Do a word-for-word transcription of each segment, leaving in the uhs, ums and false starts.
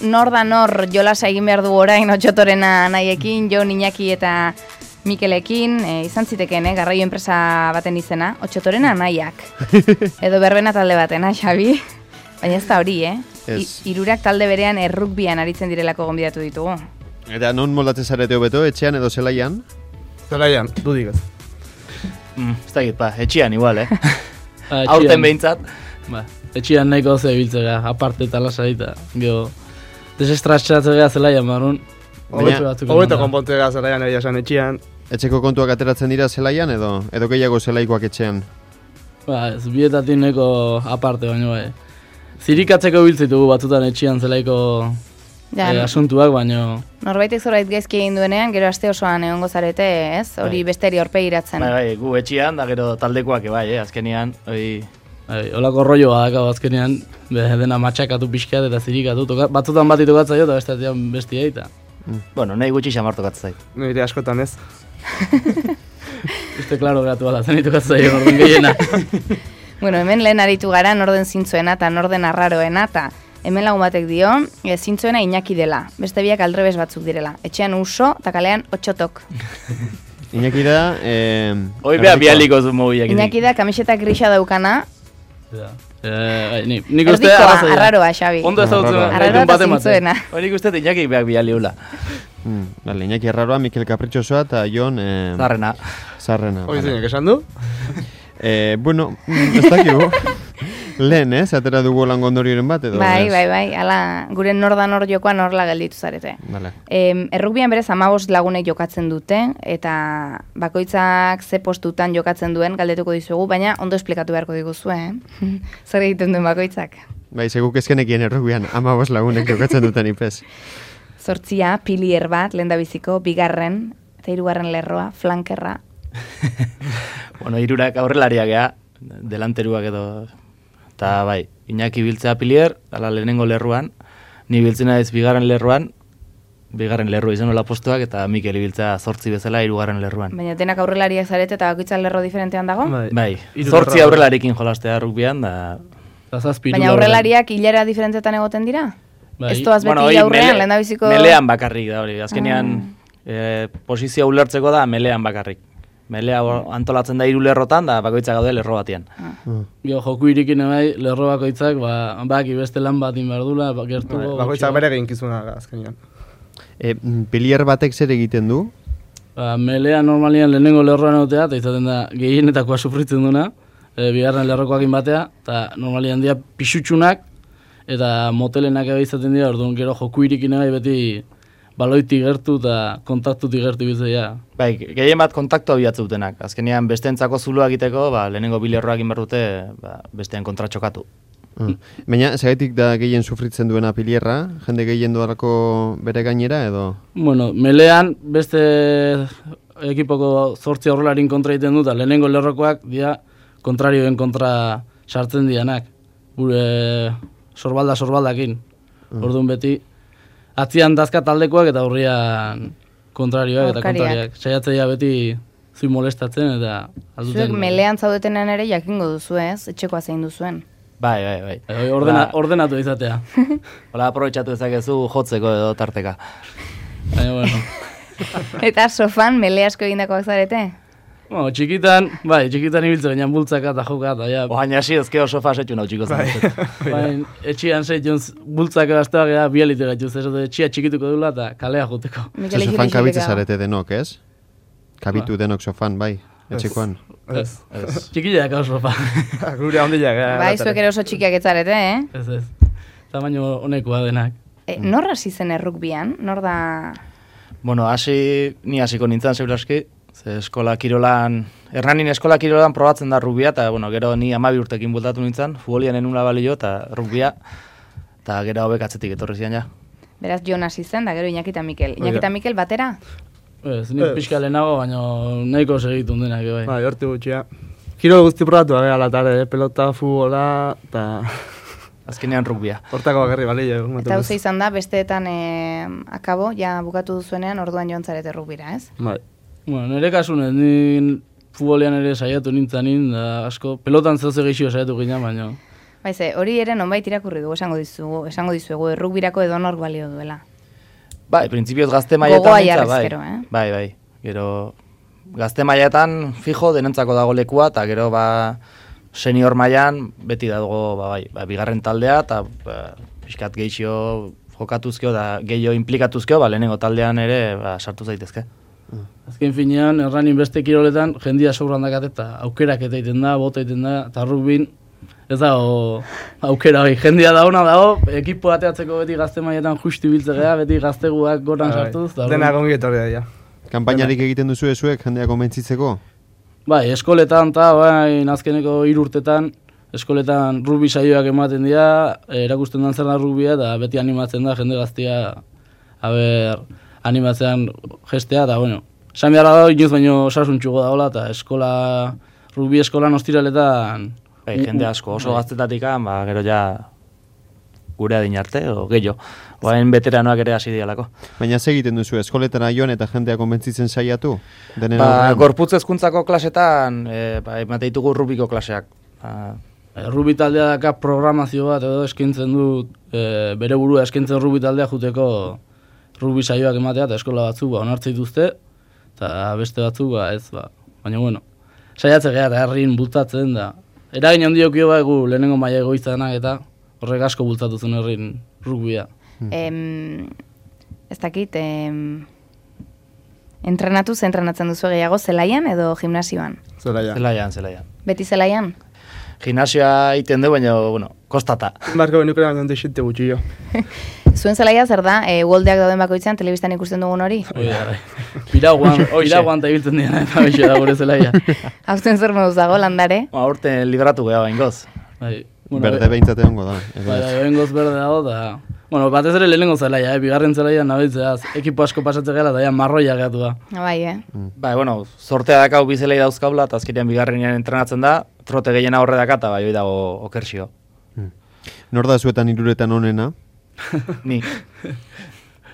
nor da nor jolasa egin behar du orain Otxotorena nahiekin, Jo, Iñaki eta Mikelekin, e, izan zitekeen, eh, garraio enpresa baten izena, Otxotorena nahiak. Edo berbena talde batena, Xabi. Baina ez da hori, eh? Ez. I, irurak talde berean errukbian aritzen direlako gonbidatu ditugu. Eta non moldatzen zarete hobeto, etxean edo zelaian? Zelaian, dudik ez. Mm, ez da egit, ba, etxian igual, eh? Ah, Aurten behintzat. Ba, etxian nahiko ze biltzega, aparte eta lasaita. Gero, desestratxatzea zelaian barun. Hobeto konpontzea zelaian egia esan etxian. Etxeko kontuak ateratzen dira zelaian edo edo gehiago zelaikoak etxean? Ba, ez bietatik nahiko aparte baino bai. Zirikatzeko biltzitugu batzutan etxian zelaiko Ja, eh, asuntuak, baino... Norbaitek zorbait gaizki egin duenean, gero aste osoan egongo zarete, ez? Hori Bai. besteri aurpegiratzen. Bai, bai, gu etxian, da gero taldekoak bai, eh? Azkenean, hoi... Bai, olako rolloa dakau azkenean, be, dena matxakatu pixkat eta zirikatu. Toka, batzutan bat itokatza jo eta bestean bestia eta... Bueno, nahi gutxi xamar tokatzen zait. Nire askotan ez. Uste klaro geratu ala, zen itokatza jo, orden gehiena. Bueno, hemen lehen aritu gara norden zintzuena eta norden arraroena eta hemen lagun batek dio, e, zintzuena Iñaki dela, beste biak aldrebes batzuk direla. Etxean Uso eta kalean Otxotok. Iñaki da... Eh, Hoi beha bialiko zu mobiak. Iñaki da kamiseta grisa daukana, Ja. Eh, bai, ni, nik uste erdikoa, arrazoia. arraroa, Xabi. Ondo ezagutzen Arraroa. Arraroa gaitun eta baten baten. zintzuena. Hoi nik uste Iñaki beak bialiula. mm, vale, Iñaki Arraroa, Mikel Caprichosoa eta Jon... Eh, Zarrena. Zarrena. Hoi vale. zeinek esan du? Eh, bueno, mm, ez dakigu. Lehen, ez? Atera dugu lan gondorioren bat edo? Bai, ez? bai, bai, ala, gure nor da nor jokoan horla gelditu zarete. Vale. Em, errukbian berez hamabost lagunek jokatzen dute, eta bakoitzak ze postutan jokatzen duen galdetuko dizugu, baina ondo esplikatu beharko diguzue, eh? Zer egiten duen bakoitzak. Bai, seguk ezkenekien errugbian, amabos lagunek jokatzen duten ipez. Zortzia, pilier bat, lehendabiziko, bigarren, eta hirugarren lerroa, flankerra. Bueno, irurak aurrelariak ea, delanteruak edo... Eta bai, Iñaki biltzea pilier, ala lehenengo lerruan, ni biltzen naiz bigarren lerruan, bigarren lerru izan nola postuak, eta Mikel ibiltzea zortzi bezala hirugarren lerruan. Baina denak aurrelariak zarete eta bakoitza lerro diferentean dago? Bai, Hiru zortzi lerro. aurrelarekin jolastea rugbian, da... Eta zazpi Baina hiru aurrelariak hilera diferentetan egoten dira? Bai. Ez toaz beti hori aurrean, mele- lehendabiziko... Melean bakarrik da hori, azkenean eh, posizioa ulertzeko da melean bakarrik. Melea hor antolatzen da hiru lerrotan, da bakoitza gaude lerro batean. Gero joku irikin bai, lerro bakoitzak, ba, baki beste lan bat inberdula, ba, gertu... Bai, Bakoitzak bere eginkizuna azkenean. E, pilier batek zer egiten du? Ba, melea normalian lehenengo lerroan egotea, eta izaten da gehienetakoa sufritzen duna, e, bigarren lerrokoakin batea, eta normalian dira pixutxunak, eta motelenak ebe izaten dira, orduan gero joku irikin bai beti baloitik gertu eta kontaktutik gertu bizia. Bai, gehien bat kontaktu abiatze dutenak. Azkenean besteentzako zuloa egiteko, ba, lehenengo bilerroak inberdute, ba, bestean kontra txokatu. Mm. Baina, zergatik da gehien sufritzen duena pilierra? Jende gehien duarako bere gainera edo? Bueno, melean beste ekipoko zortzi aurrelarin kontra egiten dut, lehenengo lerrokoak dira kontrarioen kontra sartzen dianak. Gure sorbalda sorbaldakin. Mm. Orduan beti atzian dazka taldekoak eta aurrian kontrarioak eta Aurkariak. kontrariak. Saiatzea beti zui molestatzen eta Zuek melean zaudetenan ere jakingo duzu ez, etxekoa zein duzuen. Bai, bai, bai. Bai, ordena, Ba, ordenatu izatea. hola aprobetxatu dezakezu jotzeko edo tarteka. Baina, bueno. Eta sofan mele asko egindakoak zarete? Bueno, txikitan, bai, txikitan ibiltzen baina bultzaka eta joka eta ja. Oain hasi ezkeo sofa setxu nau txiko zen. Baina, etxian zeitzun bultzaka gazteak ega bialite gaitu, zer dut etxia txikituko dula eta kalea joteko. Mikel Zu Ijili sofan kabitze Ijileka. zarete denok, ez? Kabitu denok sofan, bai, etxekoan. Ez. Txikileak hau sofa. Gure handiak. Bai, zuek ere oso txikiak etzarete, eh? Ez ez. Tamaino honekoa denak. E, nor hasi zen errukbian? Nor da... Bueno, hasi, ni hasiko nintzen seguraski, ze eskola kirolan, Hernanin eskola kirolan probatzen da rugbia, eta bueno, gero ni hamabi urtekin bultatu nintzen, futbolian enula balio eta rugbia, eta gero hobek atzetik etorri zian ja. Beraz Jon hasi zen, da gero Iñaki eta Mikel. Iñaki eta Mikel batera? Ez, nik pixka lehenago, baina nahiko segitun denak, bai. Bai, horti gutxia. Kirol guzti probatu, gara, latare, eh? Pelota, futbola, eta... Azkenean rugbia. Hortako bakarri balio. Eta hau izan da, besteetan e, akabo, ja bukatu duzuenean orduan joan zarete errukbira, ez? Bai. Bueno, nire kasunez, ni futbolean ere saiatu nintzanin, da asko, pelotan zehose gehixio saiatu ginen, baina Baize, hori ere nonbait irakurri dugu, esango dizugu, esango dizuegu, errugbirako edonor balio duela. Bai, printzipioz gazte mailetan Gogoa mintza, jarriz bai. gero, eh? Bai, bai. Gero gazte mailetan fijo denentzako dago lekua eta gero ba senior mailan beti dago ba bai, ba, bigarren taldea eta ba, pixkat gehixo jokatuzkeo da gehiago implikatuzkeo, ba lehenengo taldean ere ba, sartu zaitezke. Azken finean, erranin beste kiroletan, jendia sobran dakat eta aukerak eta egiten da, bota egiten da, eta rugbin, ez da, o, aukera hori, jendia da ona dago, ekipo ateatzeko beti gazte mailetan justu biltzea, beti gazteguak goran sartuz. Dena gongi etorri da, ja. Kanpainarik egiten duzu ezuek jendea konbentzitzeko? Bai, eskoletan eta bai, azkeneko hiru urtetan, eskoletan rugby saioak ematen dira, erakusten dan zer da rugbia, eta beti animatzen da jende gaztia, haber, animatzean gestea, eta bueno, esan beharra da, inoz baino osasuntxugo dagoela, eta eskola, rugby eskolan ostiraletan... Bai, jende asko, oso gaztetatik, ba, gero ja gure adin arte, o gehiago. Oain veteranoak ere hasi dialako. Baina ze egiten duzu, eskoletara joan eta jendea konbentzitzen saiatu? Denen Ba, aurrean? gorputz hezkuntzako klasetan, e, ba, emate ditugu rubiko klaseak. Ba, Rugby taldea daka programazio bat edo eskaintzen du e, bere burua eskaintzen rugby taldea juteko rugby saioak ematea eta eskola batzuk ba, onartze dituzte eta beste batzuk ba, ez ba. Baina bueno, saiatze geha eta herrin bultatzen da. Eragin handiokio ba egu lehenengo maila egoizanak eta horrek asko bultzatu zuen herrin rugbia. Em, ez dakit, em, entrenatu ze entrenatzen duzu gehiago zelaian edo gimnasioan? Zelaian. zelaian, zelaian. Beti zelaian? Gimnasioa egiten du, baina, bueno, kostata. Barko benukera baina deixente gutxi jo. Zuen zelaia zer da, e, goldeak dauden bakoitzean telebistan ikusten dugun hori? Hoi da, piraguan, piraguan eta ibiltzen dira eta beixo da gure zelaia. Hauzen zer moduz dago, landare? Ba, urten liberatu geha baingoz. Bai, Berde behintzat egongo da. Bai, behingoz berde dago da... Bueno, batez ere lehenengo zelaia, eh? Bigarren zelaia nabitzeaz, ekipo asko pasatze gara eta ja marroia gehatu da. Bai, eh? Ba, bueno, sortea dakau bizelei dauzkaula, eta azkenean bigarrenean entrenatzen da, trote gehiena horre daka, eta bai, hoi dago okersio. Nor da zuetan hiruretan onena? Ni.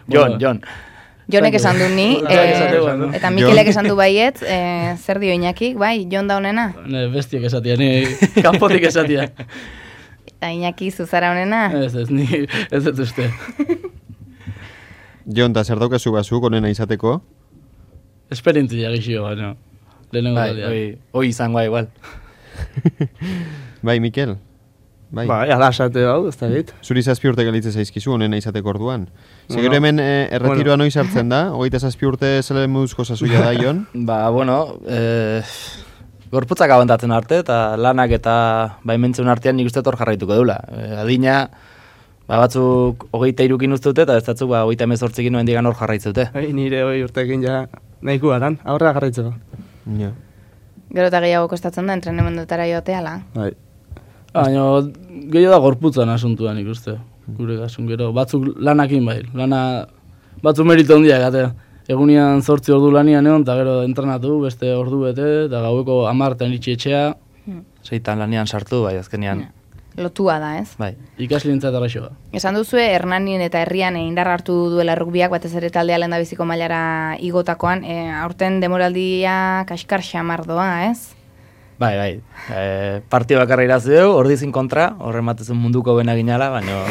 Jon, Jon. Jonek esan du ni, Jonek eh, esateko, no? eta Mikelek esan du baiet, eh, zer dio Iñakik, bai, Jon da honena? Ne, bestiek esatia, ni kanpotik esatia. Eta Iñaki zuzara honena? Ez, ez, ni ez ez uste. Jon, eta zer daukazu bazuk onena izateko? Esperientzia gixio, baina. Lehenengo Bai, taldea. hoi, hoi izangoa igual. Bai, Mikel? Bai. Bai, ala esate hau, ez da dit. Zuri zazpi urte galitze zaizkizu onena izateko orduan. Bueno, Segero hemen eh, erretiroa bueno. noiz hartzen da? Hogeita zazpi urte zele moduzko sazuia da, Jon? Ba, bueno, eh, gorputzak abantatzen arte, eta lanak eta baimentzen artean nik uste hor jarraituko dula. Eh, adina, ba, batzuk hogeita irukin uste dute, eta ez datzuk, ba, hogeita emezortzikin noen digan hor jarraitzute. Bai, nire hoi urtekin ja nahiko aran, aurrera jarraitzeko. Ja. Gero eta gehiago kostatzen da, entrenamendutara joateala. Bai. Baina gehiago da gorputzan asuntuan ikuste. Gure kasun gero, batzuk lanakin bai. Lana, batzuk merito handiak, gate. Egunian zortzi ordu lanian egon, eta gero entrenatu, beste ordu bete, eta gaueko amartan iritsi etxea. Seitan lanian sartu, bai, azkenean. Lotua da, ez? Bai. Ikaslientzat arraixo da. Esan duzue, Hernanin eta Herrian e, indar hartu duela rugbiak, batez ere taldea lehendabiziko mailara igotakoan, e, aurten demoraldia kaskar xamar doa, ez? Bai, bai. E, partio bakarra irazi dugu, ordizin kontra, horre matezen munduko bena ginala, baina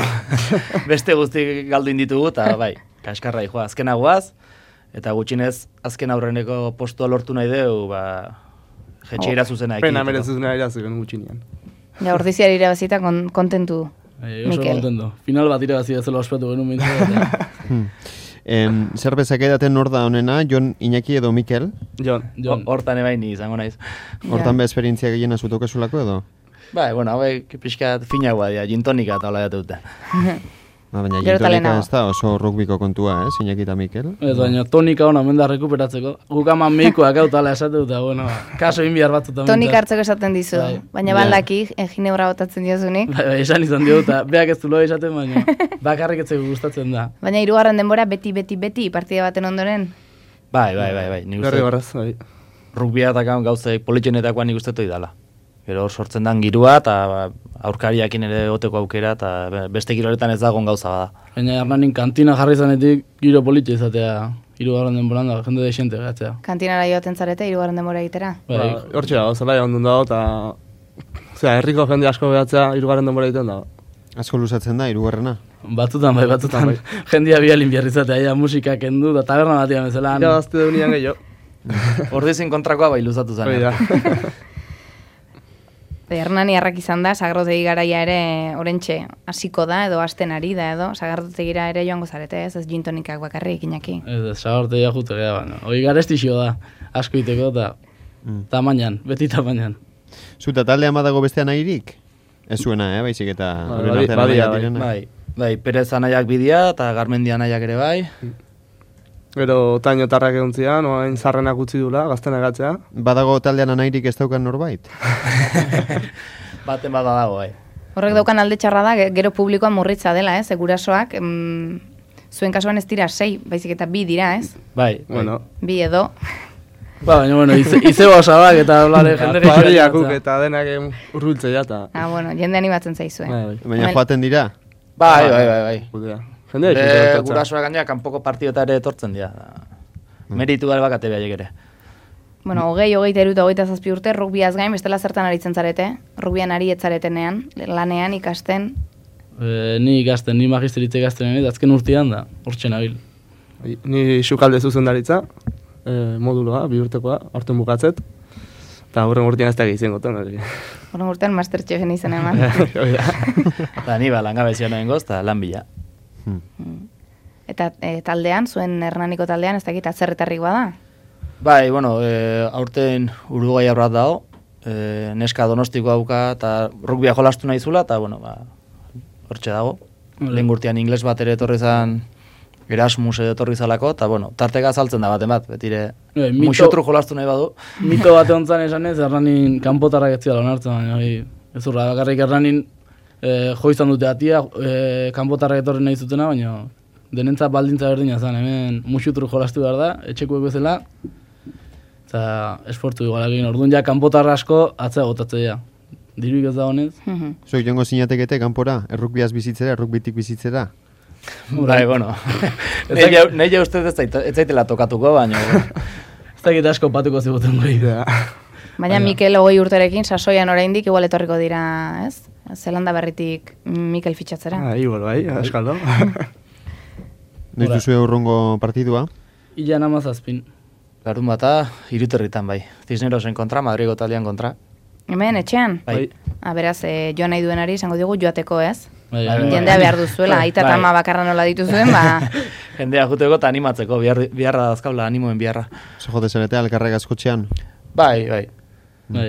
beste guzti galdu inditugu, eta bai, kaskarra joa. Azkena guaz, eta gutxinez, azken aurreneko postua lortu nahi dugu, ba, jetxeira zuzena ekiditeko. Pena merezuzuna irazuken gutxinean. Ja, ordiziari irabazita kon, kontentu. Bai, oso Mikel. kontento. Final bat irabazi dezela ospatu genuen bintzat. Em, zer bezak edaten nor da onena, Jon, Iñaki edo Mikel? Jon. Jon. Hortan ebain ni izango naiz. Hortan be esperientzia gehiena zutokezulako edo? Bai, bueno, hauek pixka finagoa dira, gintonika eta hola jatu dute. Ba, baina Gero eta gintonika lehenago. ez da oso rugbiko kontua, eh, Iñaki eta Mikel? Ez baina tonika hona menda rekuperatzeko. Guk ama meikoak autala esate dut, bueno, kaso inbiar batzutan. Tonik hartzeko esaten dizu, Bai. baina Bai. baldaki, e, ginebra botatzen diozunik. Bai, bai, esan izan dio eta beak ez dulo esaten, baina bakarrik etzeko gustatzen da. Baina hirugarren denbora beti, beti, beti, partida baten ondoren. Bai, bai, bai, bai. Nik Berri uste barraz, bai. rugbia eta gauzei politxenetakoan nik uste dala. Gero hor sortzen dan girua eta ba, aurkariakin ere goteko aukera eta be- beste giroletan ez dagoen gauza bada. Baina Hernanin kantina jarri zanetik giro politxe izatea hirugarren denboran da, jende desente gatzea. Kantinara joaten zarete hirugarren denbora egitera. Bai, Ba, hortxe dago, zelaia ondun dago, eta Osea, herriko jende asko behatzea hirugarren denbora egiten da. Asko luzatzen da, hirugarrena. Batzutan bai, batzutan. Jendia bialin biarrizatea, ja, musika kendu, da taberna batia bezalan. Ja, azte deunian gehiago. Ordezin kontrakoa bai luzatu zen. Hori da. Hernani harrak izan da, sagardotegi garaia ere orentxe hasiko da, edo hasten ari da, edo sagardotegira ere joango zarete, ez ez gintonikak bakarrik Iñaki. Ez, sagardotegi jute gara, baina. Hoi garestixio da, asko iteko, eta Mm. tamainan, beti tamainan. Zuta taldean badago bestean nahirik? Ez zuena, eh, baizik eta... Ba, euren badi- artean badia, nahiak bai. direnak. Bai, bai, Perez anaiak bidia eta Garmendia anaiak ere bai. Gero tainotarrak egon zian, oain zarrenak utzi dula, gazten agatzea. Badago taldean nahirik ez daukan norbait? Baten bada dago, bai. Horrek daukan alde txarra da, ge- gero publikoan murritza dela, ez, gurasoak, mm, zuen kasuan ez dira sei, baizik eta bi dira, ez? Bai, Bueno, Bi edo. Ba, baina, bueno, ize, izebo osabak eta olare jende pariakuk eta denak urbiltzea eta... Ah, bueno, jende animatzen zaizue. Bai, bai. Baina Hemen- joaten dira? bai, bai, bai, bai. Judea. Jende Be, egin gurasoak gainera kanpoko partiota ere etortzen dira. Meritu gara bakate behaiek ere. Bueno, hogei, hogeita iru eta hogeita zazpi urte, rugbiaz gain, bestela zertan aritzen zarete? Rugbian ari etzaretenean, lanean, ikasten. E, ni ikasten, ni magisteritze ikasten egin, azken urtean da, hortxe nabil. Ni sukalde zuzendaritza, eh, moduloa, bi urtekoa, aurten bukatzet. Eta horren urtean ez da egizien goten, hori. Horren urtean Masterchefen izen eman. Hori da. Eta ni ba, langabezia nahen goz, eta lan bila. Eta e, taldean, zuen Hernaniko taldean, ez dakit atzerretarrik bada? Bai, bueno, e, aurten Uruguai aurrat dago, e, neska donostiko dauka, eta rugbia jolastu nahi zula, eta bueno, ba, hortxe dago. Lehen gurtian ingles bat ere etorri zan, Erasmus edo etorri zalako, eta bueno, tarteka saltzen da baten bat, betire Bai, mito- muxotru jolastu nahi badu. Mito bate hontzan esan ez, Hernanin kanpotarrak ez zira onartzen, baina hori, ez urra, bakarrik Hernanin e, jo izan dute atia, e, kanpotarrak etorri nahi zutena, baina denentzat baldintza berdina zen, hemen musutru jolastu behar da, etxekuek bezala, eta esportu igualak egin, orduan ja kanpotarra asko atzea gotatzea. Diruik ez da honez. Mhm. Zuek joango zinatekete kanpora, errukbiaz bizitzera, errukbitik bizitzera? Bai, bueno. Nei ja uste ez zait- ez zaitela tokatuko, baina... Ez dakit asko patuko ziguten goi. Baina Mikel hogei urterekin, sasoian oraindik igual etorriko dira, ez? Zelanda berritik Mikel fitxatzera. Ah, igual, bai, askaldo. Noiz duzu urrungo partidua? Ilan amazazpin. Larun bata, iruterritan bai. Cisnerosen kontra, Madrigo taldean kontra. Hemen, etxean? Bai. Ah, beraz, e, joan nahi duenari esango digu joateko, ez? Bai, Bai, bai, Jendea behar duzuela, aita eta Bai. ama bakarra nola dituzuen, ba... Jendea juteko eta animatzeko, bihar, biharra dazkaula animoen biharra. Zo jote zarete, alkarrek askotxean? Bai, bai. bai.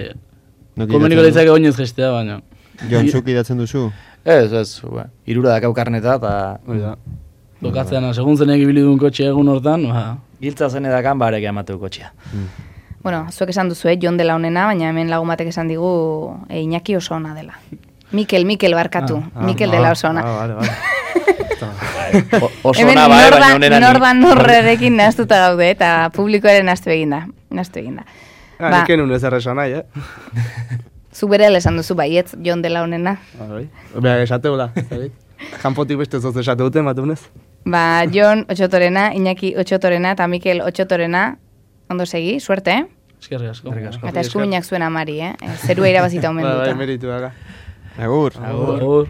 Noki Komeniko idatzen leitzake oinez gestea, baina. du? Jon, zuk idatzen duzu? Ez, ez, ba, irura dakau karneta, eta Hori da. Lokatzean, segun zenek ibili duen kotxe egun hortan, ba, giltza zen edakan barek emateu kotxea. Bueno, zuek esan duzu, eh, Jon dela honena, baina hemen lagun batek esan digu e, Iñaki oso ona dela. Mikel, Mikel barkatu, Ah, Mikel ah, dela ah, oso ona. Ah, vale, vale. O- Oso Hemen ona bai, norda- baina honena ni. nordan norrerekin nahaztuta gaude, eta publikoaren nahaztu eginda. Nahaztu eginda. Ah, Ba, nik enun ez erresan nahi, eh? zu bere esan duzu baietz, Jon dela honena. Ah, bai. Beha, esateula, zabit? Kanpotik beste zoz esate duten, batunez? Ba, Jon Otxotorena, Iñaki Otxotorena eta Mikel Otxotorena, ondo segi, suerte, eh? eskerrik asko. Eta eskuminak zuen amari, eh? Zerua irabazita omen Bai, bai, duta. meritu daga. Agur. Agur.